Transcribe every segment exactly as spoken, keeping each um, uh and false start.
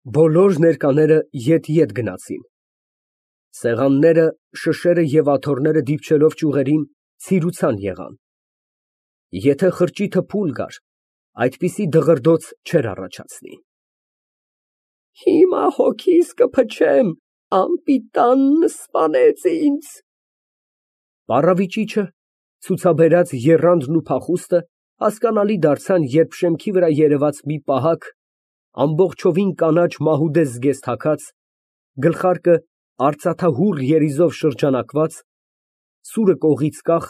Բոլոր ներկաները ետ֊ետ գնացին։ Սեղանները, շշերը և աթոռները դիպչելով ճյուղերին, ցիրուցան եղան։ Եթե խրճիթը փուլ գար, այդպիսի դղրդոց չէր առաջացնի։ Հիմա հոգիս կփչեմ, անպիտանն սպանեց ինձ։ Պառավիճիչը, ցուցաբերած եռանդն ու փախուստը հասկանալի դարձան, երբ շեմքի վրա երևաց մի պահակ, ամբողջովին կանաչ մահուդե զգեստ հագած, գլխարկը արծաթահուռ երիզով շրջանակված, սուրը կողից կախ,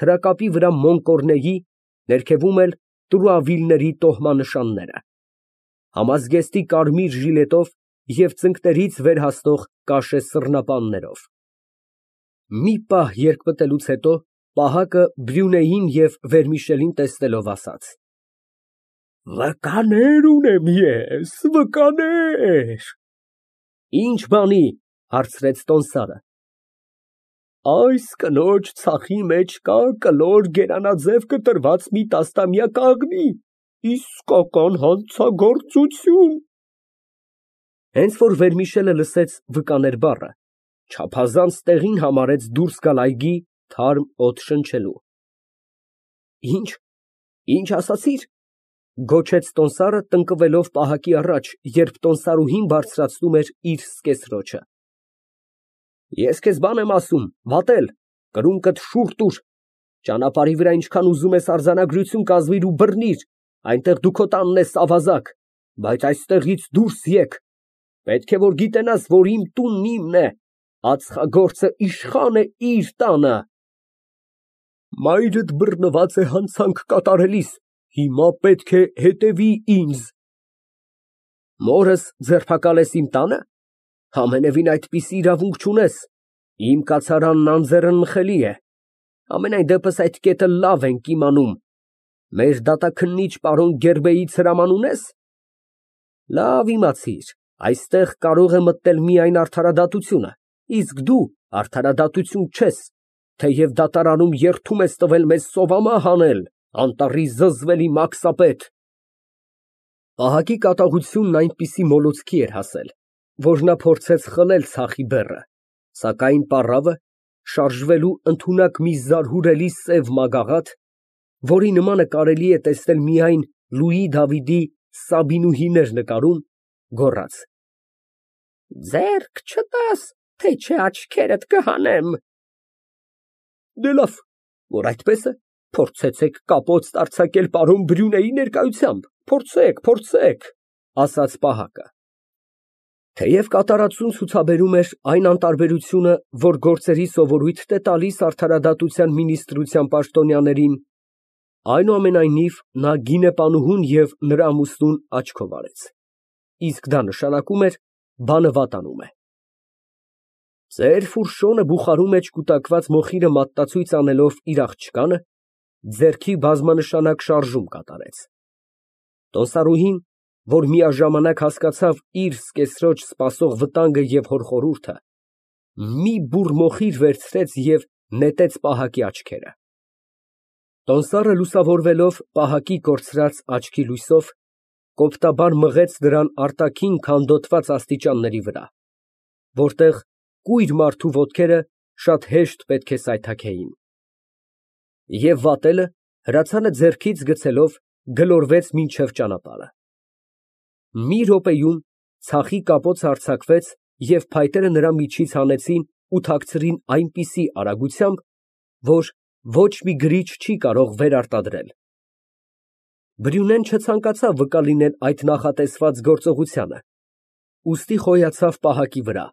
թրակապի վրա մոն կոռնեի, ներքևում էլ տրուավիլների տոհմանշանները, համազգեստի կարմիր ժիլետով և ծնկներից վեր հասնող կաշե սռնապաններով։ Մի պահ երկպտելուց հետո պահակը Բրյունեին և Վերմիշելին տեսնելով, ասաց. Վկաներ ունեմ ես, վկաներ։ Ի՞նչ բանի, հարցրեց տոմսարը։ Այս կնոջ ցախի մեջ կա կլոր գերանաձև կտրված մի տասնամյա կաղնի, իսկական հանցագործություն։ Հենց որ Վերմիշելը լսեց վկաներ բառը, չափազանց տեղին համարեց դուրս գալ այգի, թարմ օդ շնչելու։ Ի՞նչ, ի՞նչ ասացիր, գոչեց տոմսարը, տնկվելով պահակի առաջ, երբ տոմսարուհին բարձրացնում էր իր սկեսրոճը։ Ես քեզ բան եմ ասում, վատել, կրունկդ շուռ տուր, ճանապարհի վրա ինչքան ուզում ես արձանագրություն կազմիր ու բռնիր, այնտեղ դու քո տանն ես ավազակ, բայց այստեղից դուրս եկ, պետք է որ գիտենաս, որ իմ տունն իմն է, ածխագործը իշխան է իր տանը։ Մայրդ բռնված է հանցանք կատարելիս, հիմա պետք է հետևի ինձ։ Մորս ձերբակալ ես իմ տանը, ամենևին այդպիսի իրավունք չունես, իմ կացարանն անձեռնմխելի է, համենայն դեպս այդ կետը լավ ենք իմանում, մեր դատաքննիչ պարոն Գերբեից հրաման ունե՞ս։ Լավ իմացիր, այստեղ կարող է մտնել միայն արդարադատությունը, իսկ դու արդարադատություն չես, թեև դատարանում երդում ես տվել մեզ սովամահ անել, անտառի զզվելի մաքսապետ։ Պահակի կատաղությունն այնպիսի մոլուցքի էր հասել, որ նա փորձեց խլել ցախի բեռը, սակայն պառավը, շարժվելու ընդունակ մի զարհուրելի սև մագաղաթ, որի նմանը կարելի է տեսնել միայն Լուի Դավիդի Սաբինուհիներ նկարում, գոռաց. Ձեռք չտաս, թե չէ աչքերդ կհանեմ։ Դե լավ, որ այդպես է, փորձեցեք կապոծտ արձակել պարոն Բրյունեի ներկայությամբ, փորձեք, փորձեք, ասաց պահակը։ Թեև կատարածուն ցուցաբերում էր այն անտարբերությունը, որ գործերի սովորույթ է տալիս արդարադատության մինիստրության պաշտոնյաներին, այնուամենայնիվ նա գինեպանուհուն և նրա ամուսնուն աչքով արեց, իսկ դա նշանակում էր բանը վատանում է։ Ձեր ֆուրշոնը բուխարու մեջ կուտակված մոխիրը մատնացույց անելով իր աղջկանը, ձեռքի բազմանշանակ շարժում կատարեց։ Տոմսարուհին, որ միաժամանակ հասկացավ իր սկեսրոջ սպասող վտանգը և հորխորհուրդը, մի բուռ մոխիր վերցրեց և նետեց պահակի աչքերը։ Տոմսարը լուսավորվելով պահակի կորցրած աչքի լույսով, կոպտաբար մղեց դրան արտաքին քանդոտված աստիճանների վրա, որտեղ կույր մարդու ոտքերը շատ հեշտ պետք է սայթաքեին։ Եվ վատելը, հրացանը ձեռքից գցելով, գլորվեց մինչև ճանապարհը։ Մի րոպեում ցախի կապոցը արձակվեց և փայտերը նրա միջից հանեցին ու թաքցրին այնպիսի արագությամբ, որ ոչ մի գրիչ չի կարող վերարտադրել։ Բրյունեն չցանկացավ վկա լինել այդ նախատեսված գործողությանը, ուստի խոյացավ պահակի վրա,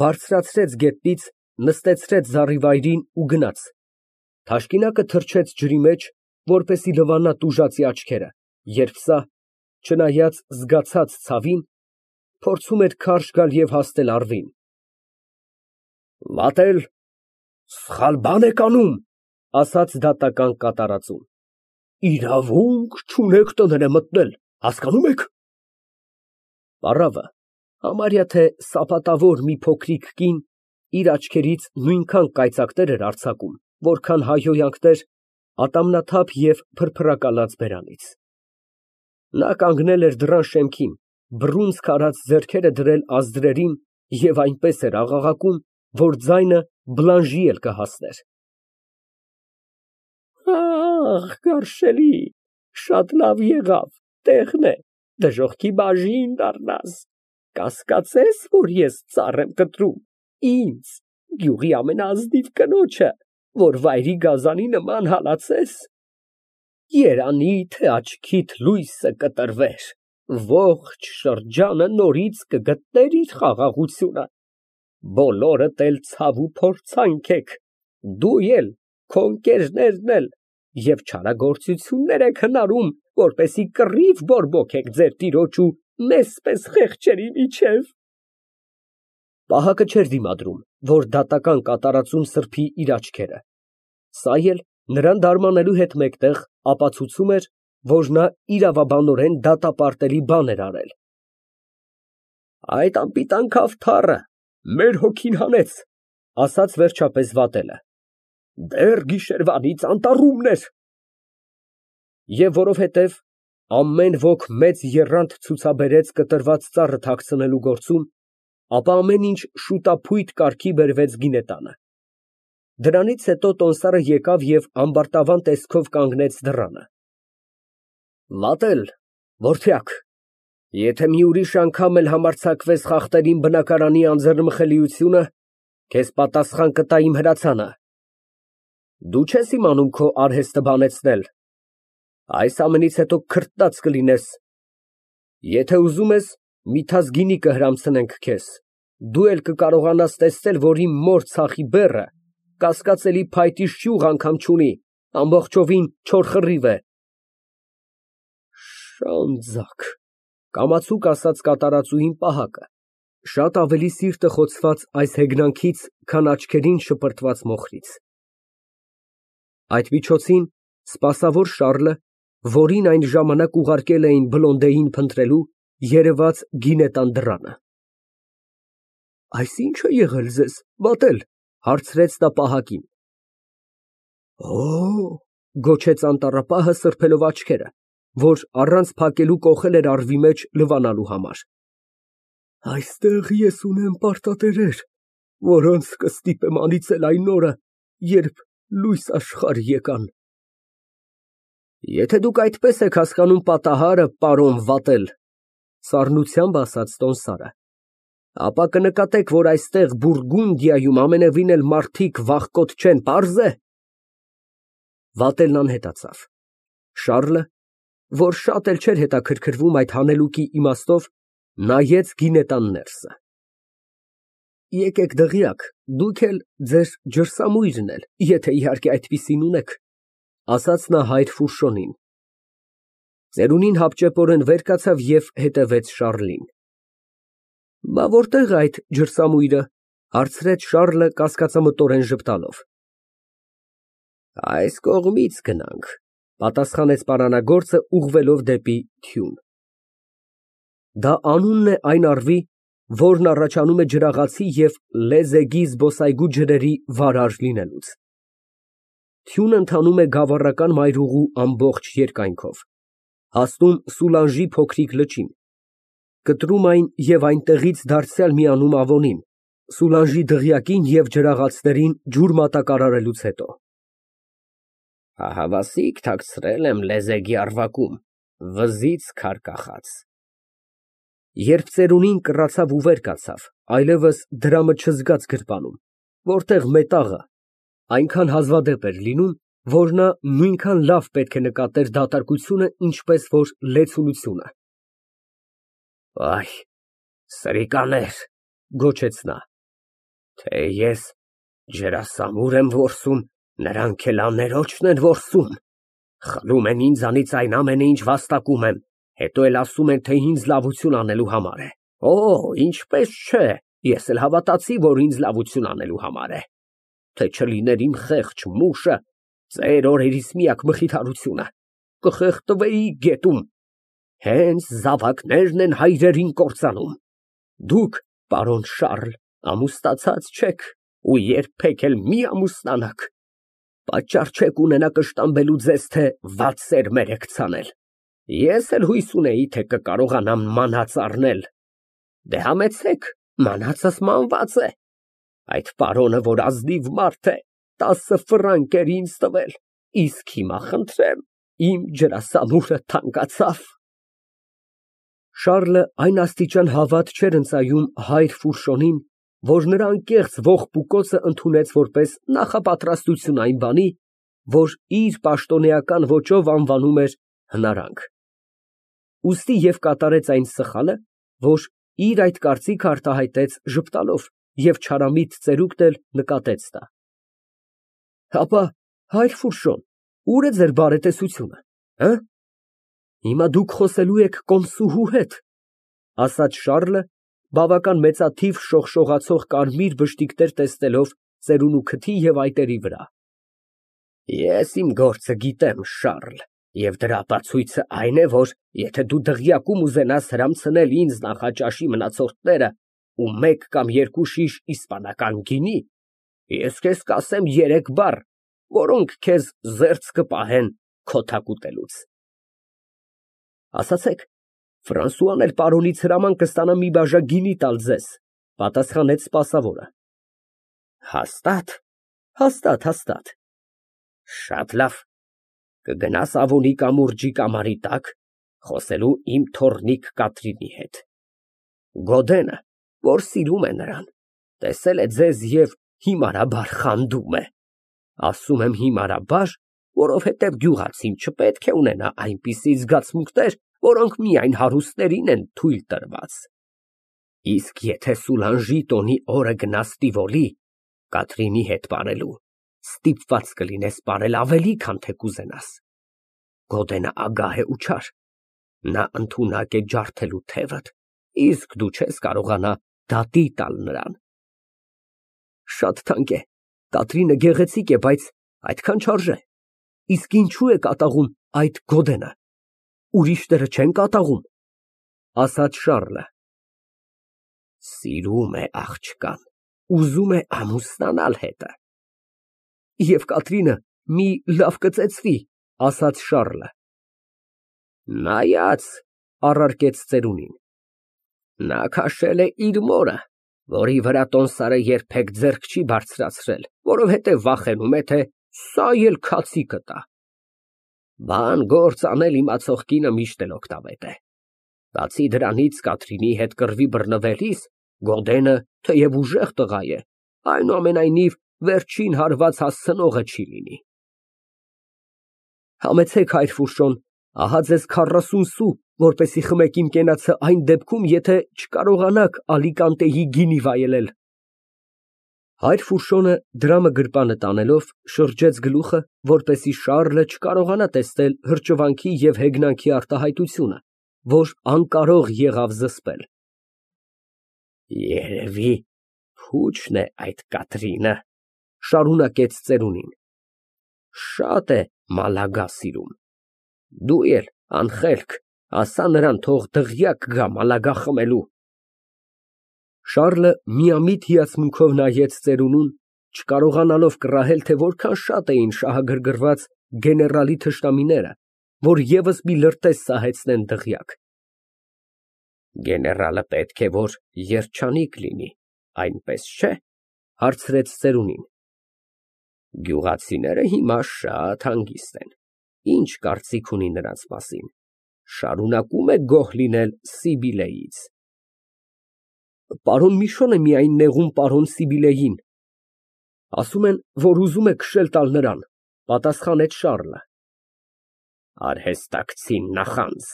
բարձրացրեց գետնից, նստեցրեց զառիվայրին ու գնաց, թաշկինակը թռչեց ջրի մեջ, որպեսզի լվանա տուժածի աչքերը, երբ սա, չնայած զգացած ցավին, փորձում էր քարշ գալ և հասնել առվին։ Վատել, սխալ բան եք անում, ասաց դատական կատարածուն։ Իրավունք չունեք տները մտնել, հասկանում եք։ Պառավը, համարյա թե սապատավոր մի փոքրիկ կին, իր աչքերից նույնքան կայծակներ էր արձակում, որքան հայհոյանքներ ատամնաթափ և փրփրակալած բերանից։ Նա կանգնել էր դռան շեմքին, բռունցք արած ձեռքերը դրել ազդրերին և այնպես էր աղաղակում, որ ձայնը Բլանժի էլ կհասներ։ Ախ, գարշելի, շատ լավ եղավ, տեղն է, դժոխքի բաժին դառնաս, կասկածե՞ս, որ ես ծառ եմ կտրում, ինձ, գյուղի ամենաազնիվ կնոջը, որ վայրի գազանի նման հալածես։ Երանի թե աչքիդ լույսը կտրվեր, ողջ շրջանը նորից կգտներ իր խաղաղությունը, բոլորդ էլ ցավ ու փորձանք եք, դու էլ, քո ընկերներն էլ, և չարագործություններ եք հնարում, որպեսզի կռիվ բորբոքեք ձեր տիրոջ ու մեզ պես խեղճերի միջև։ Պահակը չէր դիմադրում, որ դատական կատարածում սրբի իր աչքերը, սա էլ նրան դարմանելու հետ մեկտեղ ապացուցում էր, որ նա իրավաբանորեն դատապարտելի բան էր արել։ Այդ անպիտան քավթառը մեր հոգին հանեց, ասաց վերջապես վատելը, դեռ գիշերվանից անտառումն էր։ Եվ որովհետև ամեն ոք մեծ եռանդ ցուցաբերեց կտրված ծառը թաքցնելու գործում, ապա ամեն ինչ շուտափույթ կարգի բերվեց գինետանը։ Դրանից հետո տոմսարը եկավ և ամբարտավան տեսքով կանգնեց դռանը։ Վատել, որդյակ, եթե մի ուրիշ անգամ էլ համարձակվես խախտել իմ բնակարանի անձեռնմխելիությունը, քեզ պատասխան կտա իմ հրացանը։ Դու չես իմանում քո արհեստը բանեցնել, այս ամենից հետո քրտնած կլինես։ Եթե ուզում ես, միթաս գինի կհրամցնենք քեզ, դու էլ կկարողանաս տեսնել, որ իմ մոր ցախի բեռը կասկածելի փայտի շյուղ անգամ չունի, ամբողջովին չոր խռիվ է։ Շանձակ, կամացուկ ասաց կատարածուհին Պահակը, շատ ավելի սիրտը խոցված այս հեգնանքից, քան աչքերին շպրտված մոխրից։ Այդ միջոցին սպասավոր Շառլը, որին այն ժամանակ ուղարկել էին Բլոնդեին փնտրելու, երևաց գինետան դռանը։ Այս ի՞նչ է եղել ձեզ, վատել, հարցրեց նա Պահակին։ Օ, գոչեց անտառապահը սրբելով աչքերը, որ առանց փակելու կոխել էր առվի մեջ լվանալու համար։ Այստեղ ես ունեմ պարտատերեր, որոնց կստիպեմ անիծել այն օրը, երբ լույս աշխարհ եկան։ Եթե դուք այդպես եք հասկանում պատահարը, պարոն վատել, սառնությամբ ասաց տոմսարը, ապա կնկատեք, որ այստեղ Բուրգունդիայում ամենևին էլ մարդիկ վախկոտ չեն, պարզ է։ Վատելն անհետացավ։ Շառլը, որ շատ էլ չէր հետաքրքրվում այդ հանելուկի իմաստով, նայեց գինետան ներսը։ Եկեք դղյակ, դուք էլ ձեր ջրսամույրն էլ, եթե իհարկե այդպիսին ունեք, ասաց նա հայր Ֆուշոնին։ Ծերունին հապճեպորեն վեր կացավ և հետևեց Շառլին։ Բա որտե՞ղ է այդ ջրսամույրը, հարցրեց Շառլը կասկածամտորեն ժպտալով։ Այս կողմից գնանք, պատասխանեց պարանագործը, ուղղվելով դեպի թյուն։ Դա անունն է այն առվի, որն առաջանում է ջրաղացի և լեզեգի զբոսայգու ջրերի վարար լինելուց։ Թյունը ընթանում է գավառական մայրուղու ամբողջ երկայնքով, հասնում Սուլանժի փոքրիկ լճին, կտրում այն և այնտեղից դարձյալ միանում Ավոնին, Սուլանժի դղյակին և ջրաղացներին ջուր մատակարարելուց հետո։ Ահավասիկ թաքցրել եմ լեզեգի առվակում, վզից քար կախած։ Երբ ծերունին կռացավ ու վեր կացավ, այլևս դրամը չզգաց գրպանում, որտեղ մետաղը այնքան հազվադեպ էր լինում, որ նա նույնքան լավ պետք է նկատեր դատարկությունը, ինչպես որ լեցունությունը։ Այ, սրիկաներ, գոչեց նա, թե ես ջրասամուր եմ որսում, նրանք էլ աներոջն են որսում, խլում են ինձանից այն ամենը, ինչ վաստակում եմ, հետո էլ ասում են, թե ինձ լավություն անելու համար է։ Օ, ինչպես չէ, ես էլ հավատացի, որ ինձ լավություն անելու համար է, թե չլիներ իմ խեղճ մուշը, ծեր օրերիս միակ մխիթարությունը, կխեղդվեի գետում, հենց զավակներն են հայրերին կործանում։ Դուք, պարոն Շառլ, ամուսնացած չեք ու երբեք էլ մի ամուսնանաք, պատճառ չեք ունենա կշտամբելու ձեզ, թե վատ սերմեր եք ցանել։ Ես էլ հույս ունեի, թե կկարողանամ մանած առնել։ Դե համեցեք, մանածս մանված է։ Այդ պարոնը, որ ազնիվ մարդ է, տասը ֆրանկ էր ինձ տվել, իսկ հիմա, խնդրեմ, իմ ջրասամուրը թանկացավ։ Շառլը այն աստիճան հավատ չէր ընծայում հայր Ֆուրշոնին, որ նրա անկեղծ ողբուկոցը ընդունեց որպես նախապատրաստություն այն բանի, որ իր պաշտոնեական ոճով անվանում էր հնարանք, ուստի և կատարեց այն սխալը, որ իր այդ կարծիքը արտահայտեց ժպտալով և չարամիտ ծերուկն էլ նկատեց դա։ Հապա, հայր Ֆուրշոն, ո՞ւր է ձեր բարետեսությունը, հը։ Հիմա դուք խոսելու եք կոմսուհու հետ, ասաց Շառլը, բավական մեծաթիվ շողշողացող կարմիր բշտիկներ տեսնելով ծերունու քթի և այտերի վրա։ Ես իմ գործը գիտեմ, Շառլ, և դրա ապացույցը այն է, որ եթե դու դղյակում ուզենաս հրամցնել ինձ նախաճաշի մնացորդները ու մեկ կամ երկու շիշ իսպանական գինի, ես քեզ կասեմ երեք բառ, որոնք քեզ զերծ կպահեն քոթակ ուտելուց։ Ասացեք, Ֆրանսուան էլ պարոնից հրաման կստանա մի բաժակ գինի տալ ձեզ, պատասխանեց սպասավորը։ Հաստա՞տ։ Հաստատ, հաստատ։ Շատ լավ, կգնաս Ավոնի կամուրջի կամարի տակ, խոսելու իմ թոռնիկ Կատրինի հետ։ Գոդենը, որ սիրում է նրան, տեսել է ձեզ և հիմարաբար խանդում է։ Ասում եմ հիմարաբար, որովհետև գյուղացին չպետք է ունենա այնպիսի զգացմունքներ, որոնք միայն հարուստներին են թույլ տրված։ Իսկ եթե Սուլանժի տոնի օրը գնաս Տիվոլի, Կատրինի հետ պարելու, ստիպված կլինես պարել ավելի, քան թե կուզենաս։ Գոդենը ագահ է ու չար, նա ընդունակ է ջարդելու թևդ, իսկ դու չես կարողանա դատի տալ նրան։ Շատ թանկ է, Կատրինը գեղեցիկ է, բայց այդքան չարժե։ Իսկ ինչու է կատաղում այդ Գոդենը, ուրիշները չեն կատաղում, ասաց Շառլը։ Սիրում է աղջկան, ուզում է ամուսնանալ հետը։ Եվ Կատրինը մի լավ կծեծվի, ասաց Շառլը։ Նայած, առարկեց ծերունին, նա քաշել է իր մորը, որի վրա տոմսարը երբեք ձեռք չի բարձրացրել, որովհետև վախենում է, թե սա էլ քացի կտա։ Բան գործ անել իմացող կինը միշտ էլ օգտավետ է։ Բացի դրանից, Կատրինի հետ կռվի բռնվելիս, Գոդենը, թեև ուժեղ տղա է, այնուամենայնիվ վերջին հարված հասցնողը չի լինի։ Համեցեք, հայր Ֆուրշոն, ահա ձեզ քառասուն սու, որպեսզի խմեք իմ կենացը այն դեպքում, եթե չկարողանաք Ալիկանտեի գինի վայելել։ Հայր Ֆուրշոնը դրամը գրպանը տանելով շրջեց գլուխը, որպեսզի Շառլը չկարողանա տեսնել հրճվանքի և հեգնանքի արտահայտությունը, որ անկարող եղավ զսպել։ Երևի փուչն է այդ Կատրինը, շարունակեց ծերունին, շատ է մալագա սիրում։ Դու էլ, անխելք, ասա նրան, թող դղյակ գա մալագա խմելու։ Շառլը միամիտ հիացմունքով նայեց ծերունուն, չկարողանալով կռահել, թե որքան շատ էին շահագրգռված գեներալի թշնամիները, որ ևս մի լրտես սահեցնեն դղյակ։ Գեներալը պետք է որ երջանիկ լինի, այնպես չէ՞, հարցրեց ծերունին։ Գյուղացիները հիմա շատ հանգիստ են, ինչ կարծիք ունի նրանց մասին, շարունակում է գոհ լինել Սիբիլեից։ Պարոն Միշոն է միայն նեղում պարոն Սիբիլեին, ասում են, որ ուզում է քշել տալ նրան, պատասխանեց Շառլը։ Արհեստակցին նախանձ,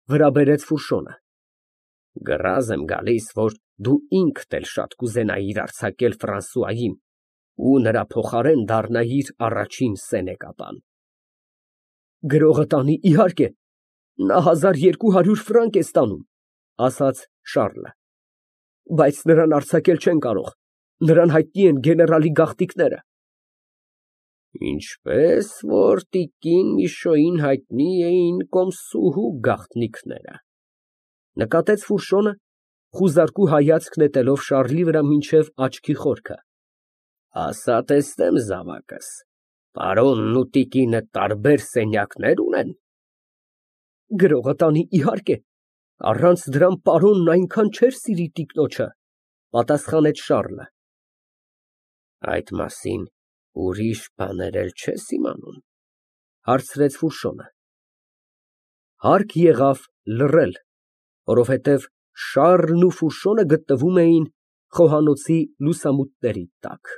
վրա բերեց Ֆուրշոնը։ Գրազ եմ գալիս, որ դու ինքդ էլ շատ կուզենայիր արձակել Ֆրանսուային ու նրա փոխարեն դառնայիր առաջին սենեկապան։ Գրողը տանի, իհարկե, նա հազար երկու հարյուր ֆրանկ է ստանում, ասաց Շառլը, բայց նրան արձակել չեն կարող, նրան հայտնի են գեներալի գաղտնիքները։ Ինչպես որ տիկին Միշոյին հայտնի էին կոմսուհու գաղտնիքները, նկատեց Ֆուրշոնը, խուզարկու հայացք նետելով Շառլի վրա մինչև աչքի խորքը։ Ասա տեսնեմ զավակս, պարոնն ու տիկինը տարբեր սենյակներ ունեն։ Գրողը տանի, իհարկե, առանց դրան պարոնն այնքան չէր սիրի տիկնոջը, պատասխանեց Շառլը։ Այդ մասին ուրիշ բաներ էլ չես իմանում, հարցրեց Ֆուշոն։ Հարկ եղավ լռել, որովհետև Շառլն ու Ֆուշոնը գտնվում էին խոհանոցի լուսամուտների տակ։